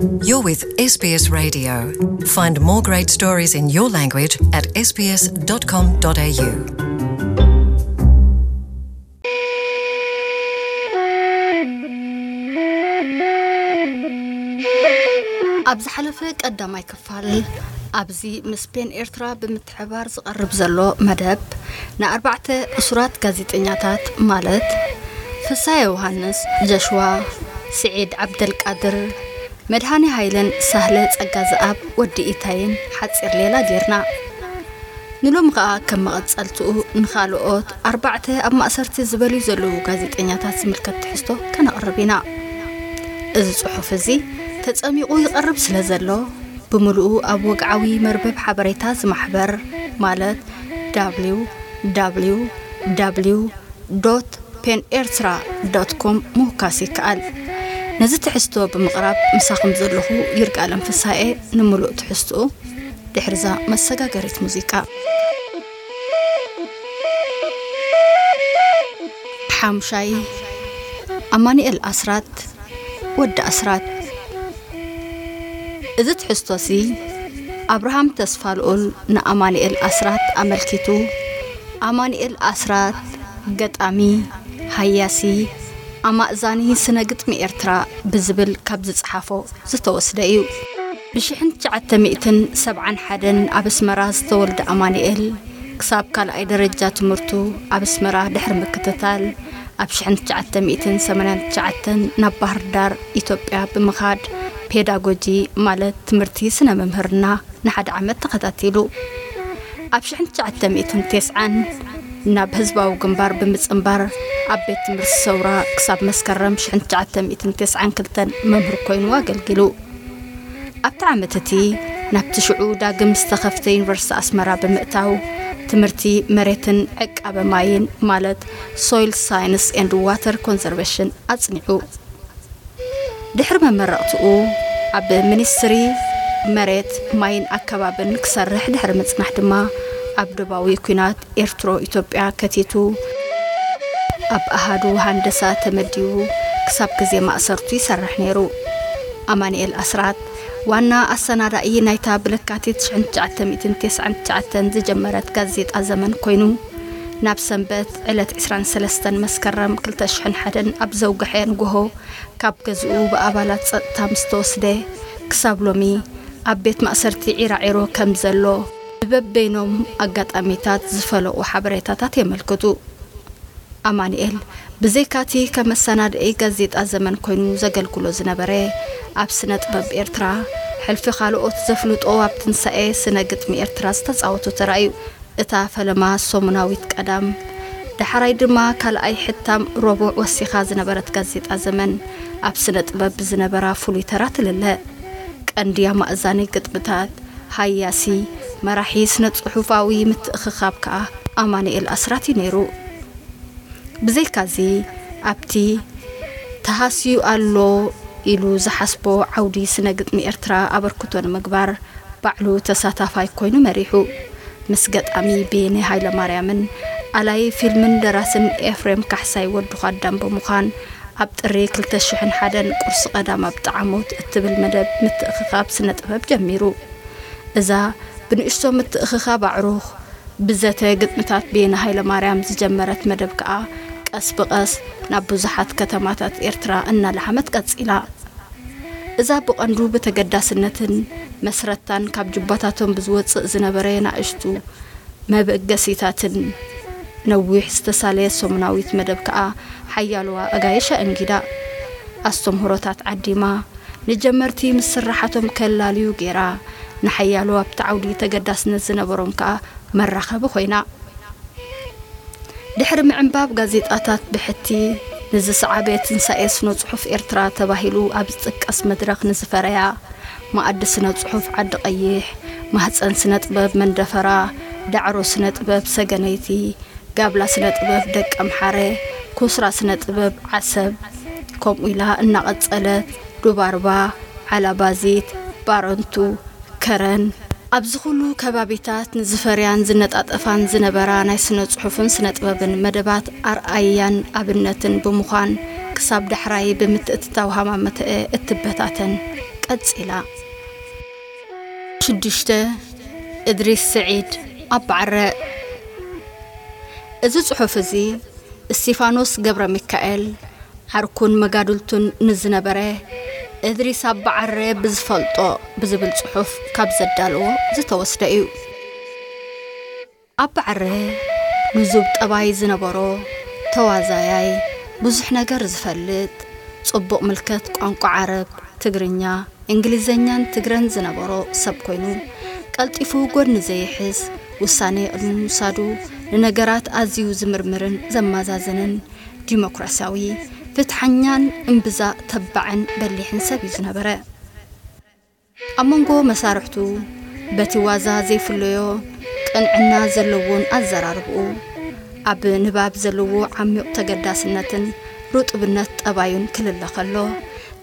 You're with S B S Radio. Find more great stories in your language at S B S dot com dot A U. ኣብ ዝሓለፈ ቀዳማይ ክፋል ኣብዚ ምስ ፔን ኤርትራ ብምትሕባር ዝቐርብ ዘሎ መደብ ንኣርባዕተ እሱራት ጋዜጠኛታት ማለት ፍሳየ ዮሃንስ፣ ጀሽዋ፣ ስዒድ ዓብደልቃድር፣ መድሃኔ ሃይለን ሳህለ ጸጋ ዝኣብ ወዲ ኢታይን ሓጺር ሌላ ጌርና። ንሎሚ ከኣ ከም መቐጸልትኡ ንኻልኦት ኣርባዕተ ኣብ ማእሰርቲ ዝበልዩ ዘለዉ ጋዜጠኛታት ዝምልከት ትሕዝቶ ከነቕርብ ኢና። እዚ ጽሑፍ እዚ ተጸሚቑ ይቐርብ ስለ ዘሎ ብምሉኡ ኣብ ወግዓዊ መርበብ ሓበሬታ ዝማሕበር ማለት www pen ኤርትራ ዶት ኮም ምውካስ ይከኣል። ነዚ ትሕዝቶ ብምቕራብ ምሳኹም ዘለኹ ይርጋለም ፍሳኤ። ንምሉእ ትሕዝትኡ ድሕርዛ መሰጋገሪት ሙዚቃ። ሓሙሻይ፣ ኣማኑኤል ኣስራት፣ ወዲ ኣስራት። እዚ ትሕዝቶሲ ኣብርሃም ተስፋልኡል ንኣማኑኤል ኣስራት ኣመልኪቱ፣ ኣማኑኤል ኣስራት ገጣሚ፣ ሃያሲ፣ ኣማእዛኒ ስነ ግጥሚ ኤርትራ ብዝብል ካብ ዝጸሓፎ ዝተወስደ እዩ። ብሽሕን ትሽዓተ ሚእትን ሰብዓን ሓደን ኣብ ኣስመራ ዝተወልደ ኣማኑኤል፣ ክሳብ ካልኣይ ደረጃ ትምህርቱ ኣብ ኣስመራ ድሕሪ ምክትታል፣ ኣብ ሽሕን ትሽዓተ ሚእትን ሰማንያን ትሽዓተን ናብ ባህር ዳር ኢትዮጵያ ብምኻድ ፔዳጎጂ ማለት ትምህርቲ ስነ መምህርና ንሓደ ዓመት ተኸታቲሉ። ኣብ ሽሕን ትሽዓተ ሚእትን ተስዓን ናብ ህዝባዊ ግንባር ብምጽንባር ኣብ ቤት ትምህርቲ ሰውራ ክሳብ መስከረም ሽሕን ትሽዓተ ሚእትን ተስዓን ክልተን መምህር ኮይኑ ኣገልጊሉ። ኣብቲ ዓመት እቲ ናብቲ ሽዑ ዳግም ዝተኸፍተ ዩኒቨርሲቲ ኣስመራ ብምእታው ትምህርቲ መሬትን ዕቃበ ማይን ማለት Soil Science and Water Conservation ኣጽኒዑ። ድሕሪ መመረቕትኡ ኣብ ሚኒስትሪ መሬት ማይን ኣከባብን ክሰርሕ ድሕሪ ምጽናሕ ድማ ኣብ ደባዊ ኲናት ኤርትሮ ኢትዮጵያ ከቲቱ ኣብ ኣሃዱ ሃንደሳ ተመዲቡ ክሳብ ግዜ ማእሰርቱ ይሰርሕ ነይሩ። ኣማኑኤል ኣስራት ዋና ኣሰናዳኢ ናይታ ብለካቲት ሽሕን ትሽዓተ ሚእትን ተስዓን ትሽዓተን ዝጀመረት ጋዜጣ ዘመን ኮይኑ፣ ናብ ሰንበት ዕለት ዕስራን ሰለስተን መስከረም ክልተ ሽሕን ሓደን ኣብ ዘውግሐ ንግሆ ካብ ገዝኡ ብኣባላት ጸጥታ ምስ ተወስደ፣ ክሳብ ሎሚ ኣብ ቤት ማእሰርቲ ዒራዒሮ ከም ዘሎ ብበበይኖም ኣጋጣሚታት ዝፈለቑ ሓበሬታታት የመልክቱ። ኣማኑኤል ብዘይካቲ ከም መሰናድኢ ጋዜጣ ዘመን ኮይኑ ዘገልግሎ ዝነበረ፣ ኣብ ስነ ጥበብ ኤርትራ ሕልፊ ካልኦት ዘፍልጦ ኣብ ትንሳኤ ስነ ግጥሚ ኤርትራ ዝተጻወቶ ተራ እዩ። እታ ፈለማ ሰሙናዊት ቀዳም፣ ዳሕራይ ድማ ካልኣይ ሕታም ረቡዕ ወሲኻ ዝነበረት ጋዜጣ ዘመን፣ ኣብ ስነ ጥበብ ብዝነበራ ፍሉይ ተራ ትልለ። ቀንዲ ኣማእዛኒ ግጥምታት፣ ሃያሲ፣ መራሒ ስነ ጽሑፋዊ ምትእኽኻብ ከኣ ኣማኑኤል ኣስራት እዩ ነይሩ። ብዘይካዚ፣ ኣብቲ ተሃስዩ ኣሎ ኢሉ ዝሓስቦ ዓውዲ ስነ ግጥሚ ኤርትራ ኣበርክቶ ንምግባር ባዕሉ ተሳታፋይ ኮይኑ መሪሑ። ምስ ገጣሚ በየነ ሃይለማርያምን ኣላይ ፊልምን ደራስን ኤፍሬም ካሕሳይ ወዲ ኳዳም ብምዃን ኣብ ጥሪ ክልተ ሽሕን ሓደን ቁርሲ ቀዳም ኣብ ጠዓሞት እትብል መደብ ምትእኽኻብ ስነ ጥበብ ጀሚሩ። እዛ ብንእሽቶ ምትእኽኻብ ኣዕሩኽ ብዘተ ግጥምታት በየነ ሃይለማርያም ዝጀመረት መደብ ከኣ ቀስ ብቐስ ናብ ብዙሓት ከተማታት ኤርትራ እናለሓመት ቀጺላ። እዛ ብቐንዱ ብተገዳስነትን መስረታን ካብ ጁባታቶም ብዝወጽእ ዝነበረ ናእሽቱ መበገሲታትን ነዊሕ ዝተሳለየ ሰሙናዊት መደብ ከኣ ሓያሎ ኣጋይሽ ኣእንጊዳ። ኣስተምህሮታት ዓዲማ፣ ንጀመርቲ ምስ ስራሓቶም ከላልዩ ገይራ፣ ንሓያሎ ኣብቲ ዓውዲ ተገዳስነት ዝነበሮም ከኣ መራኸቢ ኮይና። ድሕሪ ምዕንባብ ጋዜጣታት ብሕቲ ንዝሰዓበ ትንሳኤ ስነ ጽሑፍ ኤርትራ ተባሂሉ ኣብ ዝጥቀስ መድረኽ ንዝፈረያ፣ መኣዲ ስነ ጽሑፍ ዓዲ ቀይሕ፣ ማህጸን ስነ ጥበብ መንደፈራ፣ ዳዕሮ ስነ ጥበብ ሰገነይቲ፣ ጋብላ ስነ ጥበብ ደቀምሓረ፣ ኩስራ ስነ ጥበብ ዓሰብ፣ ከምኡ ኢላ እናቐጸለት፣ ዱባርባ፣ ዓላባዚት፣ ባረንቱ፣ ከረን፣ ኣብዚ ኩሉ ከባቢታት ንዝፈርያን ዝነጣጠፋን ዝነበራ ናይ ስነ ጽሑፍን ስነ ጥበብን መደባት ኣርኣያን ኣብነትን ብምዃን ክሳብ ዳሕራይ ብምትእትታው ሃማመተአ እትበታተን ቀጺላ። ሽዱሽተ፣ እድሪስ ስዒድ፣ ኣባዕረ። እዚ ጽሑፍ እዚ እስቲፋኖስ ገብረ ሚካኤል ዓርኩን መጋድልቱን ንዝነበረ እድሪስ ኣባዕረ ብዝፈልጦ ብዝብል ጽሑፍ ካብ ዘዳለዎ ዝተወስደ እዩ። ኣባዕረ ልዙብ ጠባይ ዝነበሮ፣ ተዋዛያይ፣ ብዙሕ ነገር ዝፈልጥ፣ ጽቡቕ ምልከት ቋንቋ ዓረብ፣ ትግርኛ፣ እንግሊዘኛን ትግረን ዝነበሮ ሰብ ኮይኑ፣ ቀልጢፉ ጎድኒ ዘይሕዝ፣ ውሳኔ ቅድሚ ምውሳዱ ንነገራት ኣዝዩ ዝምርምርን ዘማዛዝንን፣ ዲሞክራሲያዊ፣ ፍትሓኛን እምብዛ ተባዕን በሊሕን ሰብ እዩ ዝነበረ። ኣብ መንጎ መሳርሕቱ በቲ ዋዛ ዘይፍለዮ ቅንዕና ዘለዎን ኣዘራርብኡ፣ ኣብ ንባብ ዘለዎ ዓሚቕ ተገዳስነትን ርጡብነት ጠባዩን ክልለ ከሎ፣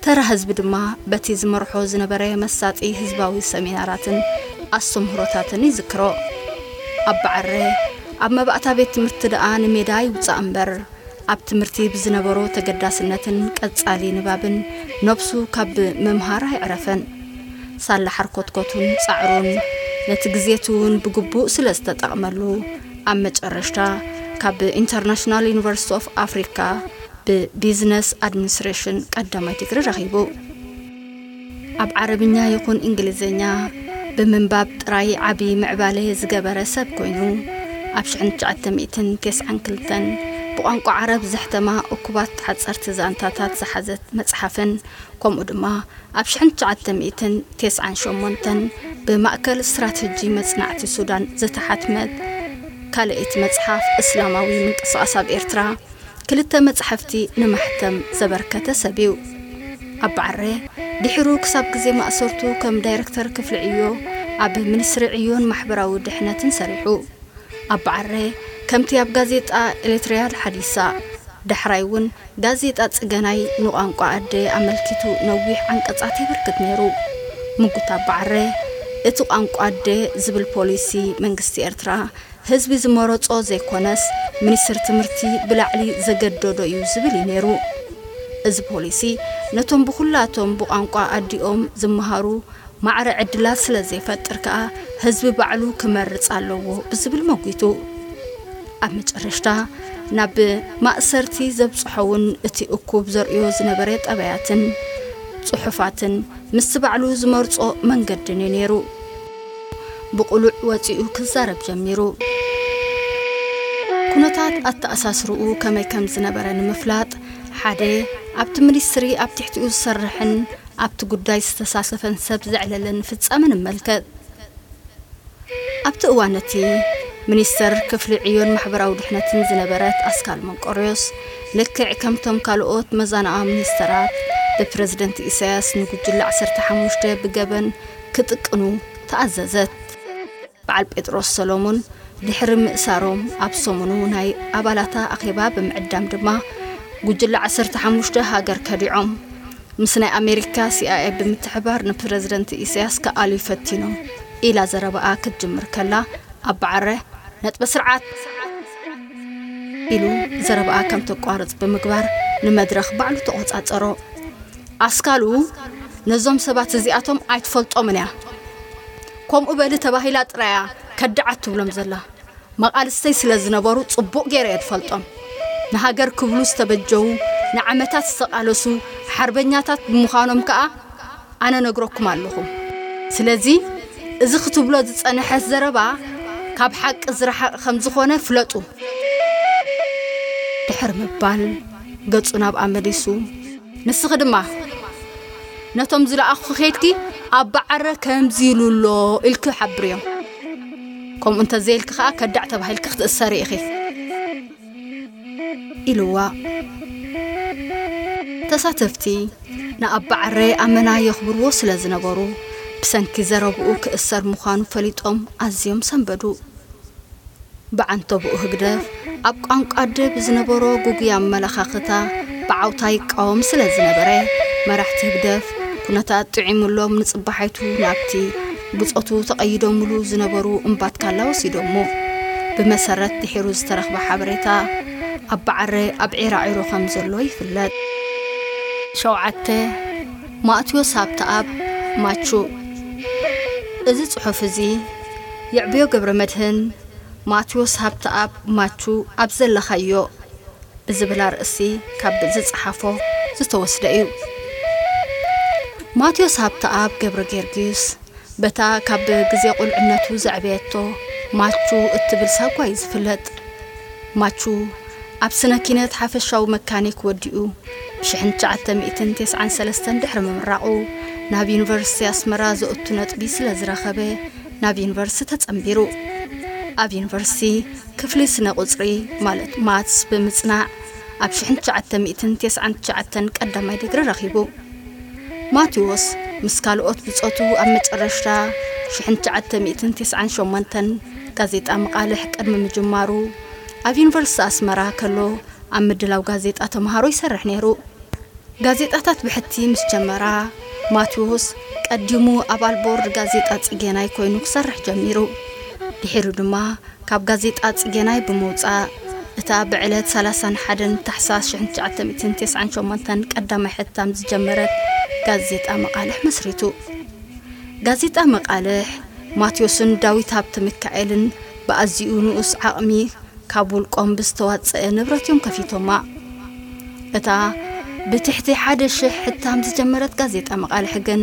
ተራ ህዝቢ ድማ በቲ ዝመርሖ ዝነበረ መሳጢ ህዝባዊ ሰሚናራትን ኣስተምህሮታትን ይዝክሮ። ኣባዕረ ኣብ መባእታ ቤት ትምህርቲ ደኣ ንሜዳ ይውጻእ እምበር፣ ኣብ ትምህርቲ ብዝነበሮ ተገዳስነትን ቀጻሊ ንባብን ነብሱ ካብ ምምሃር ኣይዕረፈን። ሳላ ሓርኮትኮቱን ጻዕሩን ነቲ ግዜቲ እውን ብግቡእ ስለ ዝተጠቕመሉ፣ ኣብ መጨረሽታ ካብ ኢንተርናሽናል ዩኒቨርሲቲ ኦፍ ኣፍሪካ ብቢዝነስ ኣድሚኒስትሬሽን ቀዳማይ ዲግሪ ረኺቡ። ኣብ ዓረብኛ ይኹን እንግሊዝኛ ብምንባብ ጥራይ ዓቢ ምዕባለ ዝገበረ ሰብ ኮይኑ፣ ኣብ ሽሕን ትሽዓተ ሚእትን ተስዓን ክልተን ብቋንቋ ዓረብ ዘሕተማ እኩባት ሓጸርቲ ዛንታታት ዝሓዘት መጽሓፍን፣ ከምኡ ድማ ኣብ ሽሕን ትሽዓተ ሚእትን ተስዓን ሸሞንተን ብማእከል ስትራተጂ መጽናዕቲ ሱዳን ዝተሓትመት ካልኣይቲ መጽሓፍ እስላማዊ ምንቅስቓስ ኣብ ኤርትራ፣ ክልተ መጻሕፍቲ ንማሕተም ዘበርከተ ሰብ እዩ። ኣባዕረ ድሒሩ ክሳብ ግዜ ማእሰርቱ ከም ዳይረክተር ክፍሊ ዕዮ ኣብ ሚኒስትሪ ዕዮን ማሕበራዊ ድሕነትን ሰሪሑ። ኣባዕረ ከምቲ ኣብ ጋዜጣ ኤሪትሪያ ሓዲሳ፣ ዳሕራይ እውን ጋዜጣ ጽገናይ ንቋንቋ ኣደ ኣመልኪቱ ነዊሕ ዓንቀጻት የበርክት ነይሩ። ምጉት ኣባዕረ እቲ ቋንቋ ኣደ ዝብል ፖሊሲ መንግስቲ ኤርትራ ህዝቢ ዝመረጾ ዘይኮነስ፣ ሚኒስትሪ ትምህርቲ ብላዕሊ ዘገደዶ እዩ ዝብል እዩ ነይሩ። እዚ ፖሊሲ ነቶም ብኹላቶም ብቋንቋ ኣዲኦም ዝመሃሩ ማዕረ ዕድላት ስለ ዘይፈጥር ከኣ፣ ህዝቢ ባዕሉ ክመርጽ ኣለዎ ብዝብል መጒቱ። ኣብ መጨረሽታ፣ ናብ ማእሰርቲ ዘብጽሖ እውን እቲ እኩብ ዘርእዮ ዝነበረ ጠባያትን ጽሑፋትን ምስቲ ባዕሉ ዝመርጾ መንገድን እዩ ነይሩ። ብቕሉዕ ወጺኡ ክዛረብ ጀሚሩ። ኩነታት ኣተኣሳስርኡ ከመይ ከም ዝነበረ ንምፍላጥ፣ ሓደ ኣብቲ ሚኒስትሪ ኣብ ትሕቲኡ ዝሰርሕን ኣብቲ ጉዳይ ዝተሳተፈን ሰብ ዘዕለለን ፍጻመ ንመልከት። ኣብቲ እዋን እቲ ሚኒስተር ክፍሊ ዕዮን ማሕበራዊ ድሕነትን ዝነበረት ኣስካል መንቆርዮስ፣ ልክዕ ከምቶም ካልኦት መዛንኣ ሚኒስተራት፣ ብፕረዚደንት ኢሳያስ ንጉጅለ ዓሰርተ ሓሙሽተ ብገበን ክጥቅኑ ተኣዘዘት። በዓል ጴጥሮስ ሰሎሞን ድሕሪ ምእሳሮም፣ ኣብ ሰሙኑ ናይ ኣባላታ ኣኼባ ብምዕዳም ድማ፣ ጉጅለ ዓሰርተ ሓሙሽተ ሃገር ከዲዖም። ምስ ናይ ኣሜሪካ ሲኣይኤ ብምትሕባር ንፕረዚደንት ኢሳያስ ክኣልዩ ፈቲኖም ኢላ ዘረባኣ ክትጅምር ከላ፣ ኣባዓረ፣ ነጥበ ስርዓት ኢሉ ዘረባኣ ከም ተቋርጽ ብምግባር ንመድረኽ ባዕሉ ተቖጻጸሮ። ኣስካሉ ነዞም ሰባት እዚኣቶም ኣይትፈልጦምን እያ። ከምኡ በሊ ተባሂላ ጥራይ እያ ከዳዓት ትብሎም ዘላ። መቓልስተይ ስለ ዝነበሩ ጽቡቕ ገይረ እየ ዝፈልጦም። ንሃገር ክብሉ ዝተበጀዉ፣ ንዓመታት ዝተቓለሱ ሓርበኛታት ብምዃኖም ከኣ ኣነ ነግረኩም ኣለኹ። ስለዚ እዚ ክትብሎ ዝጸንሐት ዘረባ ካብ ሓቂ ዝረሓቐ ከም ዝኾነ ፍለጡ። ድሕሪ ምባል ገጹ ናብኣ መሊሱ፣ ንስኺ ድማ ነቶም ዝለኣኹ ኬድኪ ኣባዓረ ከምዚ ኢሉ ኣሎ ኢልኪ ሓብርዮም። ከምኡ እንተዘይልኪ ኸኣ ከዳዕ ተባሂልኪ ክትእሰሪ ኢኺ ኢልዋ። ተሳተፍቲ ንኣባዓረ ኣመና የኽብርዎ ስለ ዝነበሩ፣ ብሰንኪ ዘረብኡ ክእሰር ምዃኑ ፈሊጦም ኣዝዮም ሰንበዱ። ብዓንተብኡ ህግደፍ ኣብ ቋንቋ ኣደ ብዝነበሮ ግጉይ ኣመለኻኽታ ብዓውታ ይቃወም ስለ ዝነበረ፣ መራሕቲ ህግደፍ ኩነታት ጥዒሙሎም ንጽባሒቱ ናብቲ ብጾቱ ተቐይዶምሉ ዝነበሩ እምባትካላ ወሲዶሞ። ብመሰረት ድሒሩ ዝተረኽበ ሓበሬታ፣ ኣባዓረ ኣብ ዒራዒሮ ከም ዘሎ ይፍለጥ። ሸውዓተ፣ ማእትዮስ ሃብተኣብ ማቹ። እዚ ጽሑፍ እዚ የዕብዮ ገብረ መድህን፣ ማቴዎስ ሃብተኣብ ማቹ ኣብ ዘለኻዮ ብዝብል ኣርእስቲ ካብ ዝጸሓፎ ዝተወስደ እዩ። ማቴዎስ ሃብተኣብ ገብረ ጊዮርጊስ በታ ካብ ግዜ ቁልዕነቱ ዘዕበየቶ ማቹ እትብል ሳጓ እዩ ዝፍለጥ። ማቹ ኣብ ስነ ኪነት ሓፈሻዊ መካኒክ ወዲኡ ብ ሽሕን ትሽዓተ ሚእትን ተስዓን ሰለስተን ድሕሪ ምምራቑ ናብ ዩኒቨርሲቲ ኣስመራ ዘእቱ ነጥቢ ስለ ዝረኸበ ናብ ዩኒቨርሲቲ ተጸንቢሩ። ኣብ ዩኒቨርሲቲ ክፍሊ ስነ ቁጽሪ ማለት ማትስ ብምጽናዕ ኣብ ሽሕን ትሽዓተ ሚእትን ተስዓን ትሽዓተን ቀዳማይ ዲግሪ ረኺቡ። ማቴዎስ ምስ ካልኦት ብጾቱ ኣብ መጨረሽታ ሽሕን ትሽዓተ ሚእትን ተስዓን ሸሞንተን ጋዜጣ መቓልሕ ቅድሚ ምጅማሩ ኣብ ዩኒቨርሲቲ ኣስመራ ከሎ ኣብ ምድላው ጋዜጣ ተምሃሮ ይሰርሕ ነይሩ። ጋዜጣታት ብሕቲ ምስ ጀመራ ማቴዎስ ቀዲሙ ኣባል ቦርድ ጋዜጣ ጽጌናይ ኮይኑ ክሰርሕ ጀሚሩ። ድሒሩ ድማ ካብ ጋዜጣ ጽጌናይ ብምውጻእ እታ ብዕለት ሰላሳን ሓደን ታሕሳስ ሽሕን ትሽዓተ ሚእትን ተስዓን ሸሞንተን ቀዳማይ ሕታም ዝጀመረት ጋዜጣ መቓልሕ መስሪቱ። ጋዜጣ መቓልሕ ማቴዎስን ዳዊት ሃብተ ሚካኤልን ብኣዝዩ ንኡስ ዓቕሚ ካብ ውልቆም ብዝተዋጸአ ንብረት እዮም ከፊቶማ። እታ ብትሕቲ ሓደ ሽሕ ሕታም ዝጀመረት ጋዜጣ መቓልሕ ግን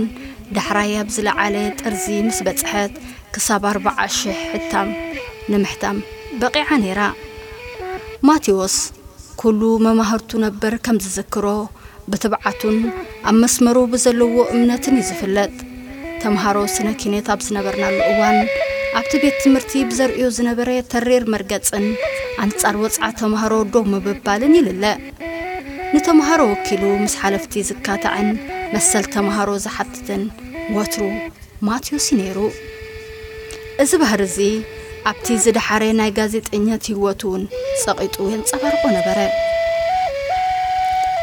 ዳሕራይ ኣብ ዝለዓለ ጥርዚ ምስ በጽሐት ክሳብ ኣርባዓ ሽሕ ሕታም ንምሕታም በቒዓ ነይራ። ማቴዎስ ኩሉ መማህርቱ ነበር ከም ዝዝክሮ ብትብዓቱን ኣብ መስመሩ ብዘለዎ እምነትን እዩ ዝፍለጥ። ተምሃሮ ስነ ኪነት ኣብ ዝነበርናሉ እዋን ኣብቲ ቤት ትምህርቲ ብዘርእዮ ዝነበረ ተሪር መርገጽን ኣንጻር ወጽዓ ተምሃሮ ደው ምብባልን ይልለ። ንተምሃሮ ወኪሉ ምስ ሓለፍቲ ዝካታዕን መሰል ተምሃሮ ዝሓትትን ወትሩ ማቴዎስ እዩ ነይሩ። እዚ ባህሪ እዚ ኣብቲ ዝደሓረ ናይ ጋዜጠኛት ህይወቱ እውን ጸቒጡ የንጸባርቆ ነበረ።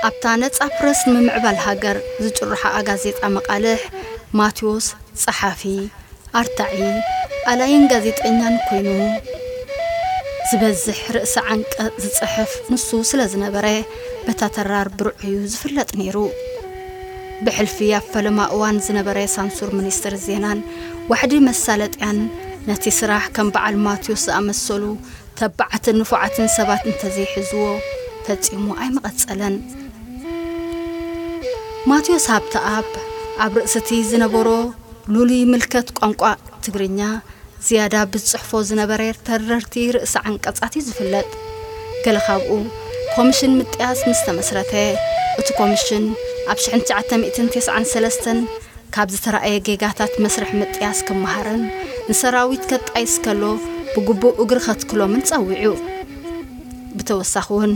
ኣብታ ነጻ ፕረስ ንምምዕባል ሃገር ዝጭርሓኣ ጋዜጣ መቓልሕ ማቴዎስ ጸሓፊ፣ ኣርታዒ፣ ኣላይን ጋዜጠኛን ኮይኑ ዝበዝሕ ርእሰ ዓንቀጽ ዝጽሕፍ ንሱ ስለ ዝነበረ በታ ተራር ብርዑ እዩ ዝፍለጥ ነይሩ። ብሕልፊ ኣብ ፈለማ እዋን ዝነበረ ሳንሱር ሚኒስትር ዜናን ዋሕዲ መሳለጥያን ነቲ ስራሕ ከም በዓል ማቴዎስ ዝኣመሰሉ ተባዓትን ንፉዓትን ሰባት እንተዘይሕዝዎ ፈጺሙ ኣይምቐጸለን። ማቴዎስ ሃብተኣብ ኣብ ርእሲ እቲ ዝነበሮ ልሉይ ምልከት ቋንቋ ትግርኛ ዝያዳ ብዝጽሕፎ ዝነበረ ተረርቲ ርእሰ ዓንቀጻት እዩ ዝፍለጥ። ገለ ካብኡ ኮሚሽን ምጥያስ ምስ ተመስረተ፣ እቲ ኮሚሽን ኣብ ሽሕን ትሽዓተ ሚእትን ተስዓን ሰለስተን ካብ ዝተራእየ ጌጋታት መስርሕ ምጥያስ ክመሃርን ንሰራዊት ከጣይስ ከሎ ብግቡእ እግሪ ከትክሎምን ጸዊዑ። ብተወሳኺ እውን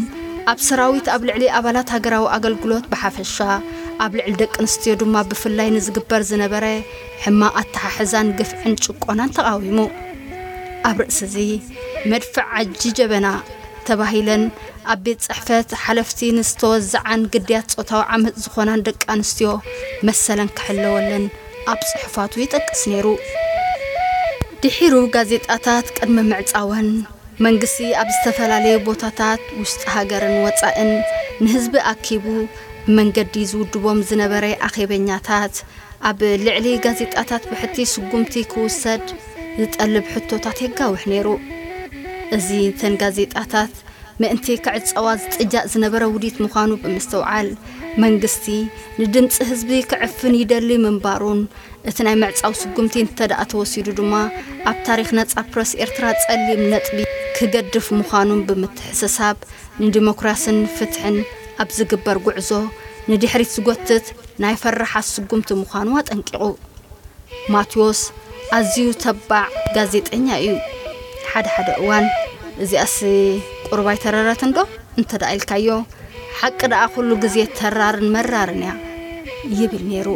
ኣብ ሰራዊት ኣብ ልዕሊ ኣባላት ሃገራዊ ኣገልግሎት ብሓፈሻ ኣብ ልዕሊ ደቂ ኣንስትዮ ድማ ብፍላይ ንዝግበር ዝነበረ ሕማቕ ኣተሓሕዛን ግፍዕን ጭቆናን ተቓዊሙ። ኣብ ርእሲ እዚ መድፍዕ ዓጂ ጀበና ተባሂለን ኣብ ቤት ጽሕፈት ሓለፍቲ ንዝተወዘዓን ግድያት ጾታዊ ዓመጽ ዝኾናን ደቂ ኣንስትዮ መሰለን ክሕለወለን ኣብ ጽሑፋቱ ይጠቅስ ነይሩ። ድሒሩ ጋዜጣታት ቅድሚ ምዕጻወን መንግስቲ ኣብ ዝተፈላለየ ቦታታት ውሽጢ ሃገርን ወጻእን ንህዝቢ ኣኪቡ ብመንገዲ ዝውድቦም ዝነበረ ኣኼበኛታት ኣብ ልዕሊ ጋዜጣታት ብሕቲ ስጉምቲ ክውሰድ ዝጠልብ ሕቶታት የጋውሕ ነይሩ። እዚ እተን ጋዜጣታት ምእንቲ ክዕጸዋ ዝጥጃእ ዝነበረ ውዲት ምዃኑ ብምስትውዓል መንግስቲ ንድምጺ ህዝቢ ክዕፍን ይደሊ ምንባሩን እቲ ናይ ምዕጻው ስጉምቲ እንተደኣ ተወሲዱ ድማ ኣብ ታሪኽ ነጻ ፕረስ ኤርትራ ጸሊም ነጥቢ ክገድፍ ምዃኑን ብምትሕስሳብ ንዲሞክራስን ፍትሕን ኣብ ዝግበር ጉዕዞ ንድሕሪት ዝጎትት ናይ ፈራሓት ስጉምቲ ምዃኑ ኣጠንቂቑ። ማቴዎስ ኣዝዩ ተባዕ ጋዜጠኛ እዩ። ሓደ ሓደ እዋን እዚኣስ ቁሩብ ኣይተረረትን ዶ እንተ ደኣ ኢልካዮ፣ ሓቂ ደኣ ኩሉ ግዜ ተራርን መራርን እያ ይብል ነይሩ።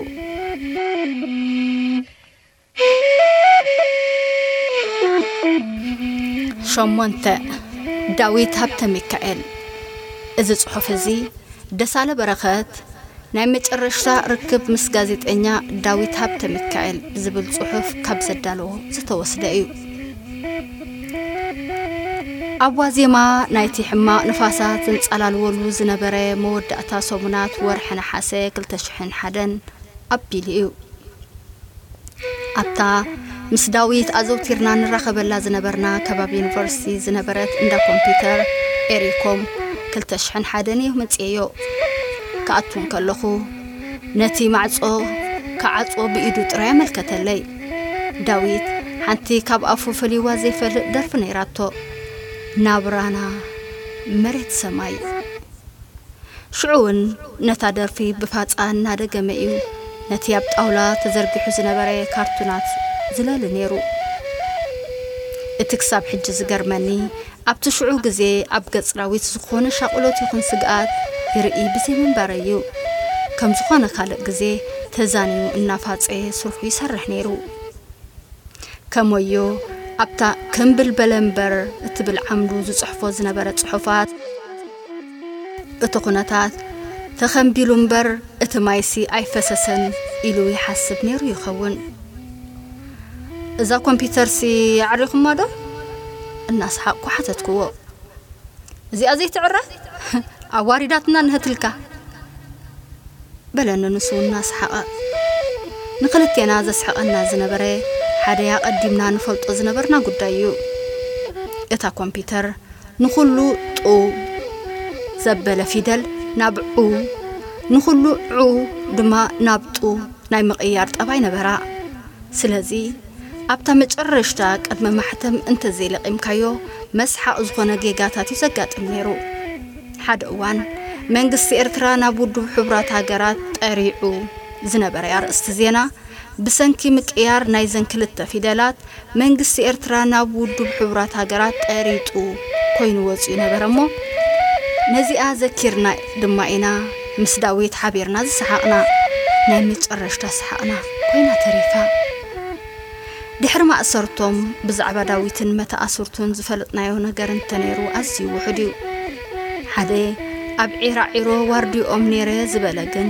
ሸሞንተ፣ ዳዊት ሃብተ ሚካኤል። እዚ ጽሑፍ እዚ ደሳለ በረኸት ናይ መጨረሽታ ርክብ ምስ ጋዜጠኛ ዳዊት ሃብተ ሚካኤል ዝብል ጽሑፍ ካብ ዘዳለዎ ዝተወስደ እዩ። ኣብ ዋዜማ ናይቲ ሕማቕ ንፋሳት ዘንጸላልወሉ ዝነበረ መወዳእታ ሰሙናት ወርሒ ነሓሰ ክልተ ሽሕን ሓደን ኣቢሉ እዩ። ኣብታ ምስ ዳዊት ኣዘውቲርና ንራኸበላ ዝነበርና ከባቢ ዩኒቨርሲቲ ዝነበረት እንዳ ኮምፒውተር ኤሪኮም ክልተ ሽሕን ሓደን እየ መጽኤዮ። ክኣቱ እንከለኹ ነቲ ማዕጾ ክዓጽዎ ብኢዱ ጥራይ ኣመልከተለይ። ዳዊት ሓንቲ ካብ ኣፉ ፈልይዋ ዘይፈልጥ ደርፊ ነይራቶ። ናብራና መሬት ሰማይ። ሽዑ እውን ነታ ደርፊ ብፋጻ እናደገመ እዩ ነቲ ኣብ ጣውላ ተዘርጊሑ ዝነበረ ካርቱናት ዝለሊ ነይሩ። እቲ ክሳብ ሕጂ ዝገርመኒ ኣብቲ ሽዑ ግዜ ኣብ ገጽ ዳዊት ዝኾነ ሻቕሎት ይኹን ስግኣት ይርኢ ብዘይምንባረይ እዩ። ከም ዝኾነ ካልእ ግዜ ተዛኒዩ እናፋጸየ ስርሑ ይሰርሕ ነይሩ። ከመዮ ኣብታ ክምብል በለ እምበር እትብል ዓምዱ ዝጽሕፎ ዝነበረ ጽሑፋት፣ እቲ ኩነታት ተኸምቢሉ እምበር እቲ ማይሲ ኣይፈሰሰን ኢሉ ይሓስብ ነይሩ ይኸውን። እዛ ኮምፒውተርሲ ኣዕሪኹማ ዶ? እናሰሓቕኩ ሓተትክዎ። እዚኣ ዘይትዕረ ኣዋሪዳትና ንህትልካ በለኒ ንሱ እናሰሓቐ። ንኽልቴና ዘስሕቐና ዝነበረ ሓደ ኣቐዲምና ንፈልጦ ዝነበርና ጉዳይ እዩ። እታ ኮምፒውተር ንኹሉ ጡ ዘበለ ፊደል ናብ ዑ፣ ንኹሉ ዑ ድማ ናብ ጡ ናይ ምቕያር ጠባይ ነበራ። ስለዚ ኣብታ መጨረሽታ ቅድሚ ማሕተም እንተዘይለቒምካዮ መስሓቕ ዝኾነ ጌጋታት እዩ ዘጋጥም ነይሩ። ሓደ እዋን መንግስቲ ኤርትራ ናብ ውድብ ሕቡራት ሃገራት ጠሪዑ ዝነበረ ኣርእስቲ ዜና ብሰንኪ ምቅያር ናይዘን ክልተ ፊደላት መንግስቲ ኤርትራ ናብ ውድብ ሕቡራት ሃገራት ጠሪጡ ኮይኑ ወፂኡ ነበረ እሞ ነዚኣ ዘኪርና ድማ ኢና ምስ ዳዊት ሓቢርና ዝሰሓቕና። ናይ መጨረሽታ ሰሓቕና ኮይና ተሪፋ። ድሕሪ ማእሰርቶም ብዛዕባ ዳዊትን መተኣስርቱን ዝፈለጥናዮ ነገር እንተነይሩ ኣዝዩ ውሑድ እዩ። ሓደ ኣብ ዒራዒሮ ዋርዲኦም ነይረ ዝበለ ግን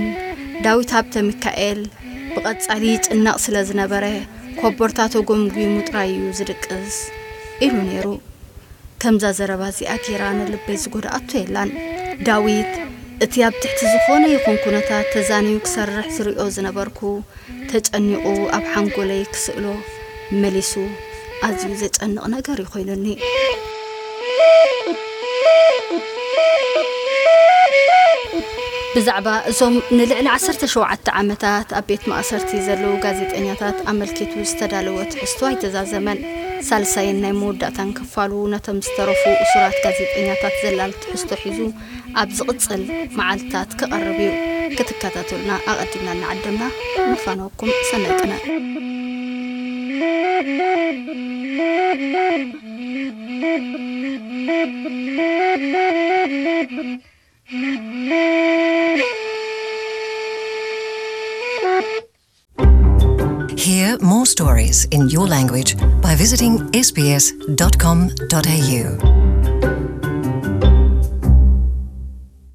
ዳዊት ሃብተ ሚካኤል ብቐጻሊ ይጭነቕ ስለ ዝነበረ ኮቦርታ ተጎምጒሙ ጥራይ እዩ ዝድቅስ ኢሉ ነይሩ። ከምዛ ዘረባ እዚኣ ጌራ ንልበይ ዝጎድኣቶ የላን። ዳዊት እቲ ኣብ ትሕቲ ዝኾነ ይኹን ኩነታት ተዛንዩ ክሰርሕ ዝሪኦ ዝነበርኩ ተጨኒቑ ኣብ ሓንጎለይ ክስእሎ መሊሱ ኣዝዩ ዘጨንቕ ነገር እዩ ኮይኑኒ። ብዛዕባ እዞም ንልዕሊ ዓሰርተ ሸውዓተ ዓመታት ኣብ ቤት ማእሰርቲ ዘለዉ ጋዜጠኛታት ኣመልኪቱ ዝተዳለወ ትሕዝቶ ኣይተዛዘመን። ሳልሳይን ናይ መወዳእታን ክፋሉ ነቶም ዝተረፉ እሱራት ጋዜጠኛታት ዘላል ትሕዝቶ ሒዙ ኣብ ዝቕጽል መዓልታት ክቐርብ እዩ። ክትከታተሉና ኣቐዲምና እናዓደምና ንፋነወኩም። ሰናይ ቅነ። Hear more stories in your language by visiting S B S dot com dot A U.